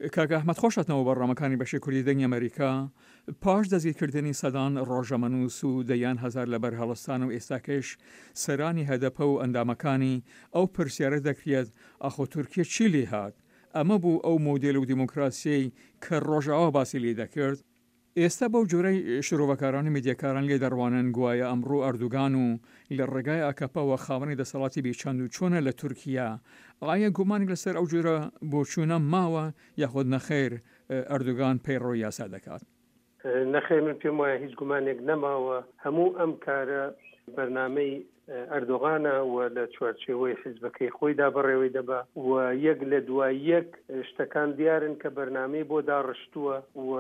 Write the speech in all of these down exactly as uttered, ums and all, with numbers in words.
کاک ئەحمەد خۆش هاتنەوە بەرنامەکانی بەشی کوردی دەنگی ئەمەریکا. پاش دەستگیرکردنی سەدان ڕۆژەمەنووس و دەیان هەزار لە بەرهەڵستان و ئێستاکەش سەرانی هەدەپە و ئەندامەکانی، ئەو پرسیارە دەکرێت ئاخۆ تورکیە چی لێهات؟ ئەمە بوو ئەو مۆدێل و دیموکراسیەی کە ڕۆژئاوا باسی لێ دەکرد؟ ئێستا بەو جۆرەی شرۆڤەکاران و میدیاکاران لێ دەڕوانن گوایە ئەمڕۆ ئەردوگان و لە ڕێگای ئاکەپەوە خاوەنی دەسەڵاتی بێ چەند و چۆنە لە تورکیا، ئایا گومانێک لەسەر ئەو جۆرە بۆچوونە ماوە یاخود نەخێر ئەردوگان پەیڕەوی یاسا دەکات؟ نەخێر من پێم وایە هیچ گومانێک نەماوە، هەموو ئەم کارە بەرنامەی ئەردۆغانە و لە چوارچێوەی حیزبەکەی خۆیدا بەڕێوەی دەبا و یەک لە دوای یەک شتەکان دیارن کە بەرنامەی بۆ داڕشتووە و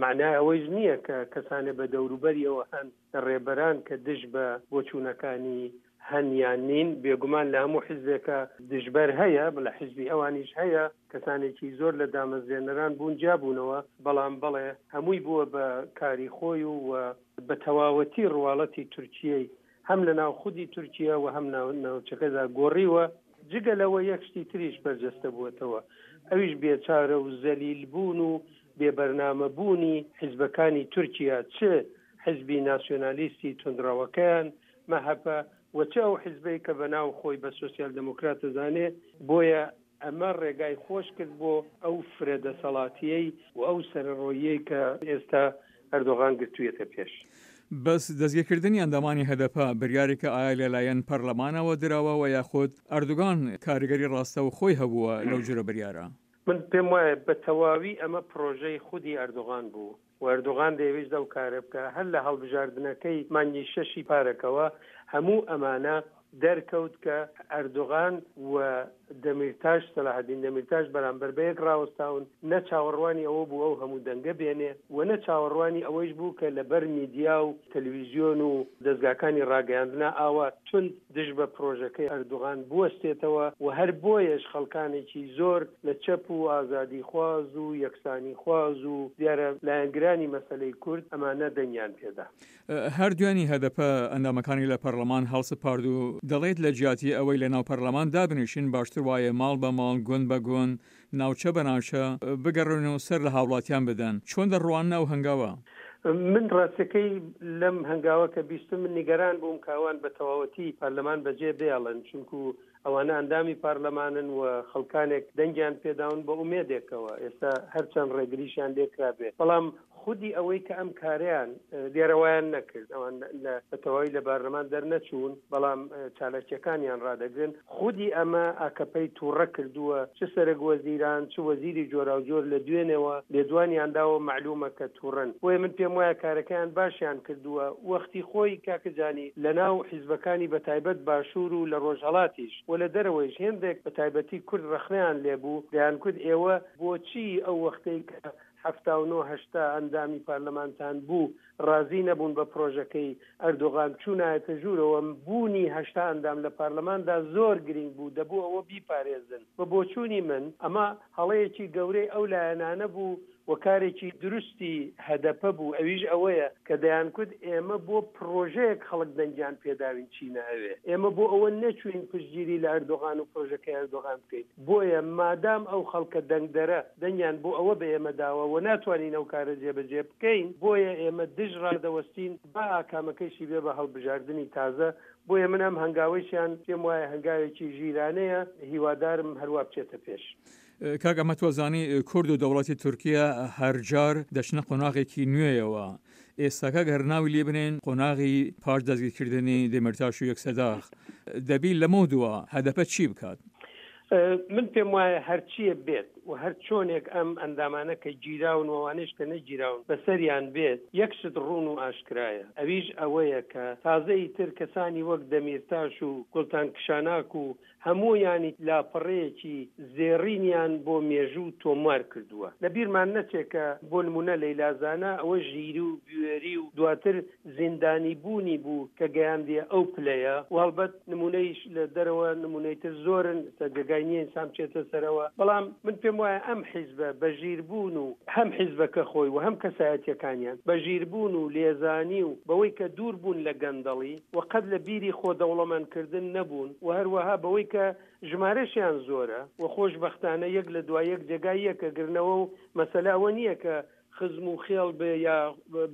مەعنای ئەوەیش نییە کە کەسانێ بە دەوروبەریەوە هەن لە ڕێبەران کە دژ بە بۆچوونەکانی هەن یان نین. بێگومان لە هەموو حیزبێکە دژبەر هەیە، لە حیزبی ئەوانیش هەیە، کەسانێکی زۆر لە دامەزرێنەران بوون جیابوونەوە، بەڵام بەڵێ هەمووی بووە بە کاری خۆی و بە تەواوەتی ڕواڵەتی تورکیەی هەم لە ناو خودی تورکیە و هەم ناوچەکەدا گۆڕیوە. جگە لەوە یەک شتی تریش بەرجەستە بووەتەوە، ئەویش بێچارە و زەلیل بوون و بێ بەرنامە بوونی حیزبەکانی تورکیا، چ حیزبی ناسیۆنالیستی توندڕەوەکەیان، مەهەپە، و چ ئەو حیزبەی کە بە ناو خۆی بە سۆسیال دێموکرات دەزانێ، بۆیە ئەمە ڕێگای خۆش کرد بۆ ئەو فرە دەسەڵاتییەی و ئەو سەرەڕۆییەی کە ئێستا ئەردۆغان گرتوویەتە پێش. بەس دەستگیرکردنی ئەندامانی هەدەپە بریارێکە ئایا لەلایەن پەرلەمانەوە دراوە وە یاخود ئەردوگان کاریگەری ڕاستەوخۆی هەبووە لەو جورە بریارە؟ من پێم وایە بە تەواوی ئەمە پرۆژەی خودی ئەردۆغان بوو و ئەردۆغان دەیەویست ئەو کارە بکا. هەر لە هەڵبژاردنەکەی مانگی شەشی پارەکەوە هەموو ئەمانە دەرکەوت کە ئەردۆغان و دەمیرتاش، سەلاحەدین دەمیرتاش بەرامبەر بەیەک ڕاوەستاون، نە چاوەڕوانی ئەوە بوو ئەو هەموو دەنگە بێنێ و نە چاوەڕوانی ئەوەیش بوو کە لەبەر میدیا و تەلویزیۆن و دەزگاکانی ڕاگەیاندنا ئاوا توند دژ بە پرۆژەکەی ئەردوغان بوەستێتەوە و هەر بۆیەش خەڵکانێکی زۆر لە چەپ و ئازادیخواز و یەکسانیخواز و دیارە لایەنگرانی مەسەلەی کورد ئەمانە دەنگیان پێدا. هەر دوێنی هەدەپە ئەندامەکانی لە پەرلەمان هەڵسپارد و دەڵێت لە جیاتی ئەوەی لە ناو پەرلەمان دابنیشن باشتر وایە ماڵ بە ماڵ، گوند بە گوند، ناوچە بە ناوچە بگەڕێن و سەر لە هاوڵاتیان بدەن. چۆن دەڕواننە ئەو هەنگاوە؟ من ڕاستەکەی لەم هەنگاوە کە بیستم من نیگەران بووم کە ئەوان بە تەواوەتی پەرلەمان بەجێ بێڵن، چونکو ئەوانە ئەندامی پارلەمانن و خەڵکانێک دەنگیان پێداون بە ئومێدێکەوە، ئێستا هەرچەند ڕێگریشیان لێکرابێ بەڵام خودی ئەوەی کە ئەم کارەیان دیارە وایان نەکرد، ئەوان لە بە تەواوی لە بارلەمان دەرنەچوون بەڵام چالاکیەکانیان ڕادەگرن، خودی ئەمە ئاکەپەی توڕە کردووە، چ سەرەک وەزیران چ وەزیری جۆراوجۆر لە دوێنێوە لێدوانیان داوە مەعلومە کە توڕەن، بۆیە من پێم وایە کارەکەیان باشیان کردووە، وەختی خۆی کاکە جانی لە ناو حیزبەکانی بە تایبەت باشوور و لە ڕۆژهەڵاتیش و لە دەرەوەیش هێندێک بە تایبەتی کورد ڕەخنەیان لێبوو دەیانکوت ئێوە بۆچی ئەو وەختەی کە حەفتا و نۆ هەشتا ئەندامی پارلەمانتان بوو ڕازی نەبوون بە پرۆژەکەی ئەردۆغان چوونایەتە ژوورەوە، بوونی هەشتا ئەندام لە پارلەماندا زۆر گرینگ بوو دەبوو ئەوە بیپارێزن. بە بۆچوونی من ئەمە هەڵەیەکی گەورەی ئەو لایەنانە بوو و کارێکی دروستی هەدەپە بوو ئەویش ئەوەیە کە دەیانکوت ئێمە بۆ پرۆژەیەک خەڵک دەنگیان پێداوین چینە ئەوێ ئێمە بۆ ئەوە نەچووین پشتگیری لە ئەردۆغان و پرۆژەکەی ئەردۆغان بکەین بۆیە مادام ئەو خەڵکە دەنگدەرە دەنگیان بۆ ئەوە بە ئێمە داوە و ناتوانین ئەو کارە جێبەجێ بکەین بۆیە ئێمە دژ ڕادەوەستین با ئاکامەکەیشی بێ بە هەڵبژاردنی تازە بۆیە من ئەم هەنگاوەیشیان پێم وایە هەنگاوێکی ژیرانەیە هیوادارم هەروا بچێتە پێش. کاک ئەمە تۆ زانی کورد و دەوڵەتی تورکیە هەرجار دەچنە قۆناغێکی نوێیەوە ئێستاکە گەر ناوی لێ بنێن قۆناغی پاش دەستگیرکردنی دێمیرتاش و یەکسەداغ دەبی لەمەو دوا هەدەپە چی بکات؟ من پێم وایە هەرچیە بێت و هەر چۆنێک ئەم ئەندامانە کە گیراون و ئەوانەیش کە نەگیراون بەسەریان بێت یەک شت ڕوون و ئاشکرایە ئەویش ئەوەیە کە تازە ئیتر کەسانی وەک دەمیرتاش و گوڵتان کشاناک و هەموویانی لاپەڕەیەکی زێڕینیان بۆ مێژوو تۆمار کردووە. لە بیرمان نەچێ کە بۆ نموونە لەیلا زانا ئەوە ژیری و بوێری و دواتر زیندانی بوونی بوو کە گەیاندیە ئەو پلەیە و هەڵبەت نموونەیش لە دەرەوە نموونەی تر زۆرن ئێستا جێگای نییە ئینسان بچێتە سەرەوە بەڵام من پێم وایە ئەم حیزبە بە ژیر بوون و هەم حیزبەکە خۆی و هەم کەسایەتیەکانیان بە ژیر بوون و لێزانی و بەوەی کە دوور بوون لە گەندەڵی و قەت لە بیری خۆ دەوڵەمەند کردن نەبوون و هەروەها بەوەی کە ژمارەشیان زۆرە و خۆشبەختانە یەک لە دوای یەک جێگای یەک ئەگرنەوە و مەسەلە ئەوە نییە کە خزم و خێڵ بێ یا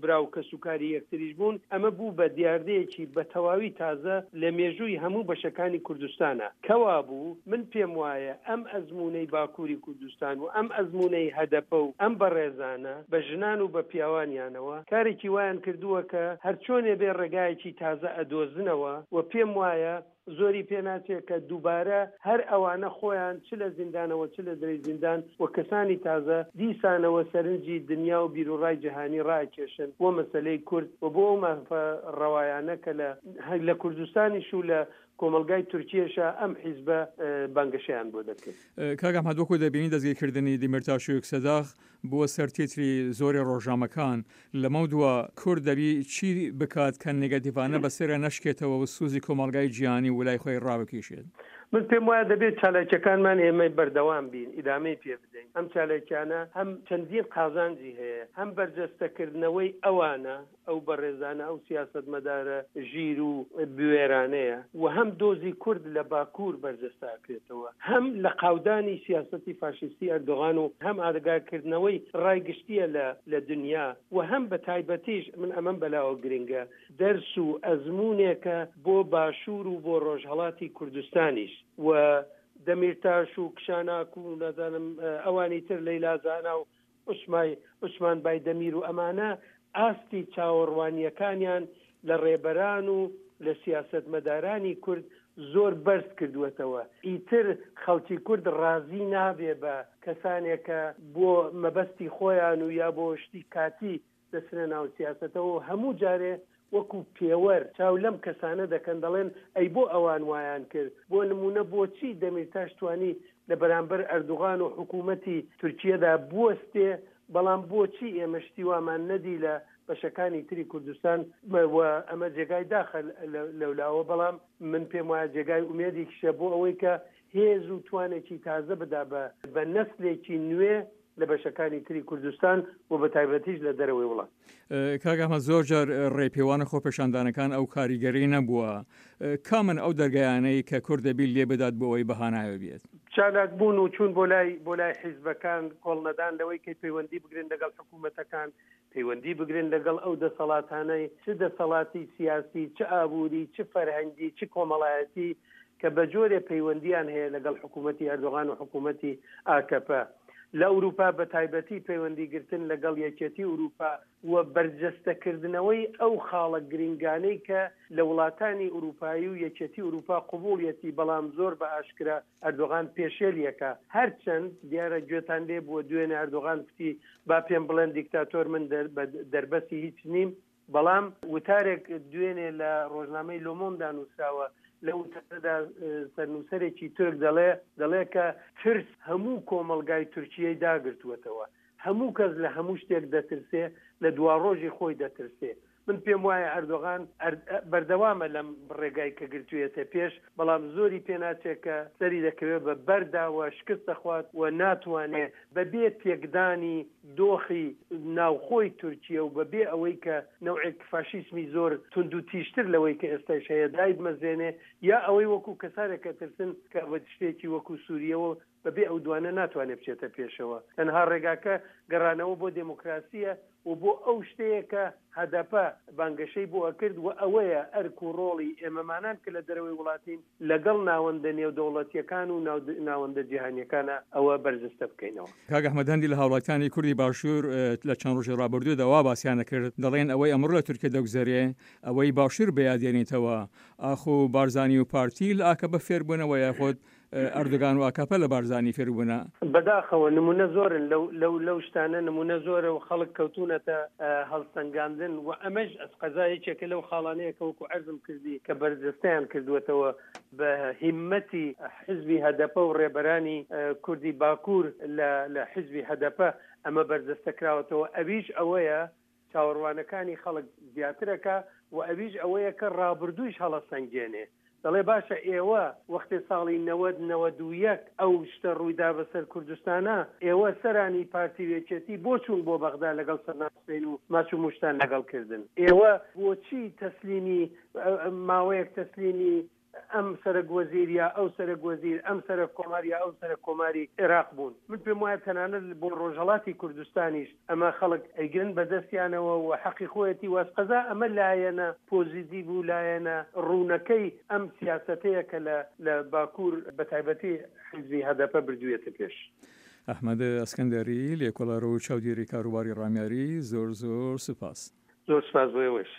برا و کەسوکاری یەکتریش بوون، ئەمە بوو بە دیاردەیەکی بە تەواوی تازە لە مێژووی هەموو بەشەکانی کوردستانا. کەوابوو من پێم وایە ئەم ئەزموونەی باکووری کوردستان و ئەم ئەزموونەی هەدەپە و ئەم بەڕێزانە بە ژنان و بە پیاوانیانەوە کارێکی وایان کردووە کە هەرچۆنێ بێ ڕێگایەکی تازە ئەدۆزنەوە و پێم وایە زۆری پێ ناچێ کە دووبارە هەر ئەوانە خۆیان چ لە زیندانەوە چ لە درەی زیندان و کەسانی تازە دیسانەوە سەرنجی دنیا و بیروڕای جیهانی ڕائەکێشن بۆ مەسەلەی کورد و بۆ ئەو مافە ڕەوایانە کە لە لە کوردستانیش و لە کۆمەڵگای تورکیەشا ئەم حیزبە بانگەشەیان بۆ دەکرد. کاک ئەحمەد وەکو دەبینین دەستگیرکردنی دیمیرتاش و یوکسەداغ بووە سەر تیتری زۆری ڕۆژنامەکان، لەمەودوا کورد دەبی چی بکات کە نێگەتیڤانە بەسەریا نەشکێتەوە و سوزی کۆمەڵگای جیهانی ولای خۆی ڕابکیشێت؟ من پێم وایە دەبێت چالاکیەکانمان ئێمە بەردەوام بین، ئیدامەی پێ بدەین. ئەم چالاکیانە هەم چەندین قازانجی هەیە، هەم بەرجەستەکردنەوەی ئەوانە، ئەو بەڕێزانە، ئەو سیاسەتمەدارە ژیر و بوێرانەیە و هەم دۆزی کورد لە باکوور بەرجەستە ئەکرێتەوە، هەم لە قاودانی سیاسەتی فاشیستی ئەردۆغان و هەم ئاگاکردنەوەی ڕای گشتییە لە لە دنیا و هەم بە تایبەتیش من ئەمەم بەلاوە گرنگە دەرس و ئەزموونێکە بۆ باشوور و بۆ ڕۆژهەڵاتی کوردستانیش و دەمیرتاش و کشاناک و نازانم ئەوانی تر لەیلا زانا و عوسمای عوسمان بایدەمیر و ئەمانە ئاستی چاوەڕوانییەکانیان لە ڕێبەران و لە سیاسەتمەدارانی کورد زۆر بەرز کردووەتەوە. ئیتر خەڵکی کورد ڕازی نابێ بە کەسانێک کە بۆ مەبەستی خۆیان و یا بۆ شتی کاتی دەچنە ناو سیاسەتەوە و هەموو جارێ وەکو پێوەر چاو لەم کەسانە دەکەن دەڵێن ئەی بۆ ئەوان وایان کرد؟ بۆ نموونە بۆچی دەمیرتاش توانی لە بەرامبەر ئەردوغان و حکوومەتی تورکیەدا بوەستێ بەڵام بۆچی ئێمە شتی وامان نەدی لە بەشەکانی تری کوردستان و ئەمە جێگای داخە لەولاوە بەڵام من پێم وایە جێگای ئومێدێکیشە بۆ ئەوەی کە هێز و توانێکی تازە بدا بە بە نەسلێکی نوێ لە بەشەکانی تری کوردستان و بە تایبەتیش لە دەرەوەی وڵات. کاک ئەحمەد زۆر جار ڕێپێوان و خۆپێشاندانەکان ئەو کاریگەری نەبووە، کامن ئەو دەرگایانەی کە کورد دەبی لێ بدات بۆ ئەوەی بە هانایەوە بێت؟ چالاک بوون و چوون بۆ لای بۆ لای حیزبەکان، کۆڵنەدان لەوەی کەی پەیوەندی بگرن لەگەڵ حکوومەتەکان، پەیوەندی بگرن لەگەڵ ئەو دەسەڵاتانەی چ دەسەڵاتی سیاسی، چ ئابووری، چ فەرهەنگی، چ کۆمەڵایەتی کە بە جۆرێ پەیوەندییان هەیە لەگەڵ حکوومەتی ئەردۆغان و حکوومەتی ئاکەپە. لە ئورووپا بە تایبەتی پەیوەندی گرتن لەگەڵ یەکیەتی ئورووپا و بەرجەستەکردنەوەی ئەو خاڵە گرینگانەی کە لە وڵاتانی ئورووپایی و یەکیەتی ئورووپا قبووڵیەتی بەڵام زۆر بە ئاشکرا ئەردۆغان پێشێلیەکا هەرچەند دیارە گوێتان لێ بووە دوێنێ ئەردۆغان کوتی با پێم بڵێن دیکتاتۆر من دەربەسی هیچ نیم بەڵام وتارێک دوێنێ لە ڕۆژنامەی لۆمۆندا نووسراوە لەو وتارەدا سەرنووسەرێکی تورک دەڵێ دەڵێ کە ترس هەموو کۆمەڵگای تورکیەی داگرتووەتەوە هەموو کەس لە هەموو شتێک دەترسێ لە دواڕۆژی خۆی دەترسێ من پێم وایە ئەردۆغان بەردەوامە لەم ڕێگای کە گرتوویەتە پێش بەڵام زۆری پێ ناچێت کە سەری دەکەوێت بە بەردا و شکست دەخوات و ناتوانێ بە بێ تێکدانی دۆخی ناوخۆی تورکیە و بە بێ ئەوەی کە نەوعێک فاشیسمی زۆر توندوتیژتر لەوەی کە ئێستایش هەیە دایبمەزرێنێ یا ئەوەی وەکوو کەسانێک ئەترسن کە شتێکی وەکوو سووریەوە بە بێ ئەو دوانە ناتوانێ بچێتە پێشەوە. تەنها ڕێگاکە گەڕانەوە بۆ دێموکراسییە و بۆ ئەو شتەیە کە هەدەپە بانگەشەی بۆ ئەکرد و ئەوەیە ئەرک و ڕۆڵی ئێمەمانان کە لە دەرەوەی وڵاتین لەگەڵ ناوەندە نێودەوڵەتییەکان و ناوەندە جیهانییەکانا ئەوە بەرجستە بکەینەوە. کاک ئەحمەد هەندی لە هاوڵاتیانی کوردی باشوور لە چەند ڕۆژی ڕابردوودا وا باسیان ئەکرد دەڵێن ئەوەی ئەمڕۆ لە تورکیە دەگوزەرێ ئەوەی باشوور بەیاد دێنیتەوە ئاخۆ بارزانی و پارتی لە ئاکەپە فێر بوونەوە یاخود ئەردۆگان و ئاکەپە لە بارزانی فێر بوونە؟ بەداخەوە نموونە زۆرن لەو لەو لەو شتانە نموونە زۆرە و خەڵک کەوتوونەتە هەڵسەنگاندن و ئەمەش ئەسقەزا یەکێکە لەو خاڵانەیە کە وەکوو عەرزم کردی کە بەرجەستەیان کردووەتەوە بە هیممەتی حیزبی هەدەپە و ڕێبەرانی کوردی باکوور لە لە حیزبی هەدەپە ئەمە بەرجەستە کراوەتەوە ئەویش ئەوەیە چاوەڕوانەکانی خەڵک زیاتر ئەکا و ئەویش ئەوەیە کە ڕابردوویش هەڵەسەنگێنێ دەڵێ باشە ئێوە وەختێ ساڵی نەوەد نەوەد و یەک ئەو شتە ڕوویدا بەسەر کوردستانا ئێوە سەرانی پارتی و یەکێتی بۆ چوون بۆ بەغدا لەگەڵ سەدام حوسەین و ماچ و موشتان لەگەڵ کردن؟ ئێوە بۆچی تەسلیمی ماوەیەک تەسلیمی ئەم سەرەک وەزیر یا ئەو سەرەک وەزیر، ئەم سەرەک کۆمار یا ئەو سەرەک کۆماری عێراق بوون. من پێم وایە تەنانەت بۆ ڕۆژهەڵاتی کوردستانیش ئەمە خەڵک ئەیگرن بە دەستیانەوە و حەقی خۆیەتی و ئەسقەزا ئەمە لایەنە پۆزیتیڤ و لایەنە ڕوونەکەی ئەم سیاسەتەیە کە لە لە باکوور بە تایبەتی حیزبی هەدەپە بردوویەتە پێش. ئەحمەد ئەسکەندەری، لێکۆڵەر و چاودێری کاروباری ڕامیاری، زۆر زۆر سوپاس. زۆر سوپاس بۆ ئێوەش.